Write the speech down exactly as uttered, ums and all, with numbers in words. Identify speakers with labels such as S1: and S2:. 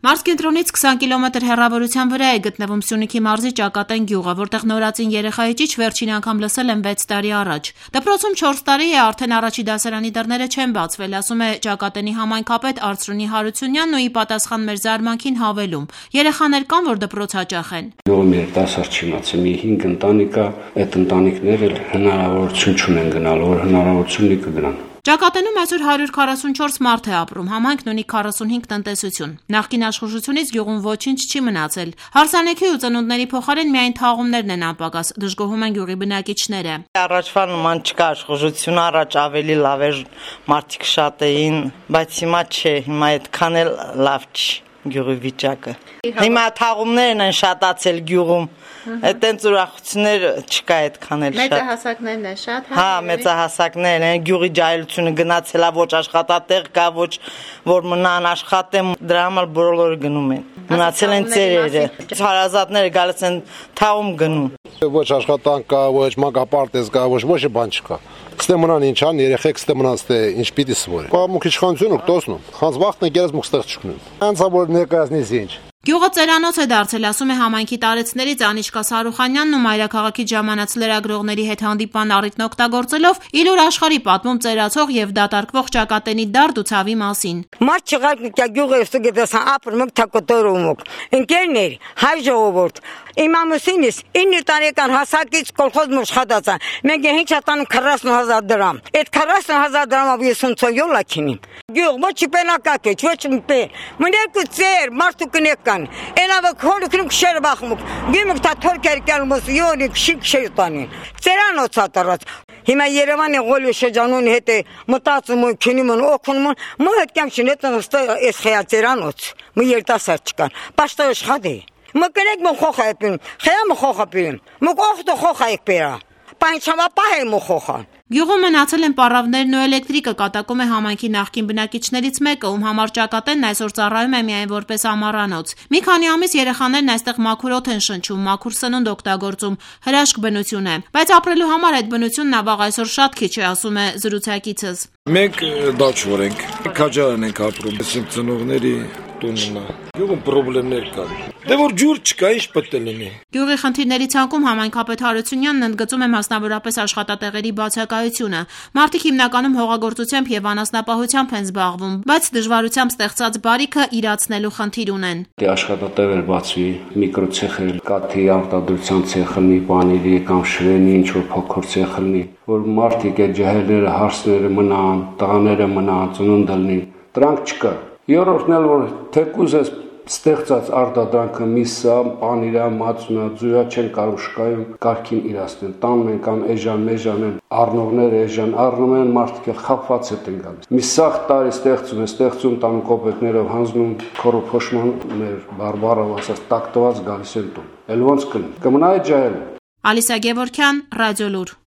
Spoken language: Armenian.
S1: Մարզկենտրոնից քսան կիլոմետր հեռավորության վրա է գտնվում Սյունիքի մարզի Ճակատեն գյուղը, որտեղ նորածին երեխայի ճիչ վերջին անգամ լսել են վեց տարի առաջ։ Դպրոցում չորս տարի է արդեն առաջի դասարանի դռները չեն բացվել, ասում է Ճակատենի համայնքապետ Արծրունի Հարությունյանն ու ի պատասխան մեր զարմանքին հավելում. երեխաներ կան, որ դպրոց հաճախ են։
S2: Գյուղի դասար չիմացի մի հինգ ընտանիք է, այդ ընտանիքները հնարավորություն չունեն գնալու, որ հնարավորություն լի կգնան։
S1: Ճակատենում այսօր հարյուր քառասունչորս մարդ է ապրում, համայնքն ունի քառասունհինգ տնտեսություն։ Նախկին աշխուժությունից գյուղում ոչինչ չի մնացել։ Հարսանեկի ու ծնունդների փոխարեն միայն թաղումներն են անպակաս, դժգոհում են գյուղի բնակիչները։
S3: Առաջվա նման չկա աշխուժություն, առաջ ավելի լավ էր, մարդիկ շատ էին, բայց հիմա չէ, հիմա այդքան էլ լավ չի գյուղի վիճակը։ Հիմա թաղումներն են շատացել գյուղում, այդտենց ուրախություններ չկա այդքան էլ շատ։
S4: Մեծահասակներն են շատ,
S3: հա, մեծահասակներն են, գյուղի ջահելությունը գնացել է, ոչ աշխատատեղ կա, ոչ որ մնան աշխատեն, դրա համար բոլորը գնում են։ Մնացել են ծերերը, հարազատները գալիս են թաղում գնում։
S5: Ոչ աշխատանք կա, ոչ մանկապարտեզ կա, ոչ ոչ բան չկա։ Ստե մնան ինչ ան, երեխեք ստե մնան ստե ինչ պիտի սվորեն։ Կամուք իշխանությունը կտոսնում, խանձ վախտն գերես մուք ստեղ չկնում։ Անցա որ ներկայացնես ինչ։
S1: Գյուղը ծերանոց է դարձել, ասում է համայնքի տարեցներից Անիշկա Սարուխանյանն ու մայրաքաղաքից ժամանած լրագրողների հետ հանդիպման առիթն օգտագործելով իլուր աշխարհի պատմում ծերացող եւ դատարկվող Ճակատենի դարդ ու ցավի մասին։
S6: Մարդ չղար գյուղը ստգետասան ապրում թակոտորում։ Ընկերներ, հայ ժողովուրդ, իմ ամուսինս ինը տարեկան հասակից կոլխոզ մուշխատած է։ Մենք ինչ ատանում քառասուն հազար դրամ։ Այդ քառասուն հազար դրամով ես ոնց յոլակինի։ Գյուղ ոչ պենակակ է, ոչ մպե։ Մներկու ծեր, մարդու կնեկան։ Էնավը քոլքնում քշեր բախմուկ։ Գիմուկ թա թորքեր կալմոս յոնի քշիկ շեյտանին։ Ծերանոց ատարած։ Հիմա Երևանի գոլի շրջանուն հետ է մտածում ու քնում ու օգնում։ Մը հետ կամ շնետն ստա էս խիա ծերանոց։ Մը երտասար չկան։ Պաշտո աշխատի։ Մը կնեք մը խոխա եպին։ Խիա մը խոխա պին։ Մը օխտո խոխա եկպերա։ Պանչավա պահե մը խոխա։
S1: Գյուղում մնացել են պարավներն ու էլեկտրիկը, կատակում է համայնքի նախկին բնակիչներից մեկը, ում համար Ճակատենն այսօր ծառայում է միայն որպես ամառանոց։ Մի քանի ամիս երեխաներն այստեղ մաքուր օդ են շնչում, մաքուր սնունդ օգտագործում, հրաշք բնություն է։ Բայց ապրելու համար այդ բնությունն ավաղ այսօր շատ քիչ է, ասում է զրուցակիցս։
S7: Մենք դաչվոր ենք, քաջարան ենք ապրում, այսինքն ծնողների տունն է։ Գյուղում խնդիրներ կան։ Դե որ ջուր չկա, ինչ պետք է լինի։
S1: Գյուղի խնդիրների ցանկում համայնքապետ Հարությունյանն ընդգծում է մասնավորապես աշխատատեղերի բացակայությունը։ Մարդիկ հիմնականում հողագործությամբ եւ անասնապահությամբ են զբաղվում, բայց դժվարությամբ ստեղծած բարիքը իրացնելու խնդիր ունեն։
S2: Դե աշխատատեղեր բացվի, միկրոցեխեր, կաթի արտադրության ցեխ լինի, պանիրի կամ շրենի ինչ որ փոքր ցեխ լինի, որ մարդիկ այդ ջահելները, հարսները մնան, տղաները մնան, ծնունդը լինի։ Դրանք չկա։ Երրորդն էլ որ թեկուզ է ստեղծած արտադրանքը միսա, պանիրա, մածունա, ձուրա չեն կարող շկայում կարքին իրացնել։ Տանում են կամ էժան, մեժան են, առնողները էժան առնում են, մարդիկ էլ խափված հետ են գալիս։ Մի սաղ տարի ստեղծում է, ստեղծում տանում կոպեկներով հանձնում, քորոփոշման մեր բարբարով ասած տակտված գալիս են տուն։ Էլ ոնց կլինի։ Կմնա այդ ջահելը։
S1: Ալիսա Գևորգյան, Ռադիոլուր։